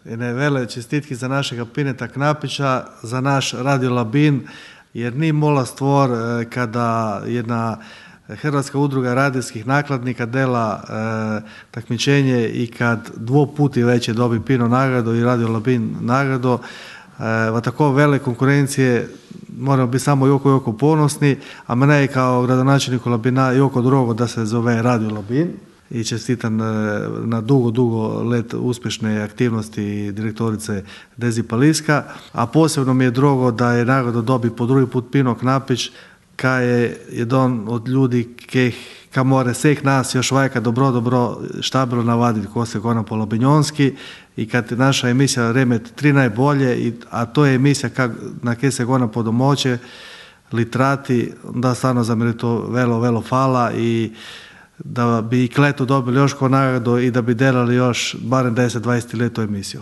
Ene vele čestitki za našega Pineta Knapića, za naš Radio Labin, jer ni mola stvor kada jedna Hrvatska udruga radijskih nakladnika dela takmičenje i kad dvoputi već dobi Pino nagradu i Radio Labin nagradu, v tako vele konkurencije moramo biti samo jako ponosni, a mene je kao gradonačelniku Labina jako drugo da se zove Radio Labin i čestitam na dugo let uspješne aktivnosti direktorice Dezi Paliska, a posebno mi je drugo da je nagradu dobi po drugi put Pino Knapić, kaj je jedan od ljudi ka more vseh nas još vajka dobro štabilo navaditi ko se gona po labinjonski i kad naša emisija Remet 3 najbolje, a to je emisija na kje se gona po domoće litrati, da stvarno za mene to velo fala i da bi i kletu dobili još ko nagradu i da bi delali još barem 10-20 let tu emisiju.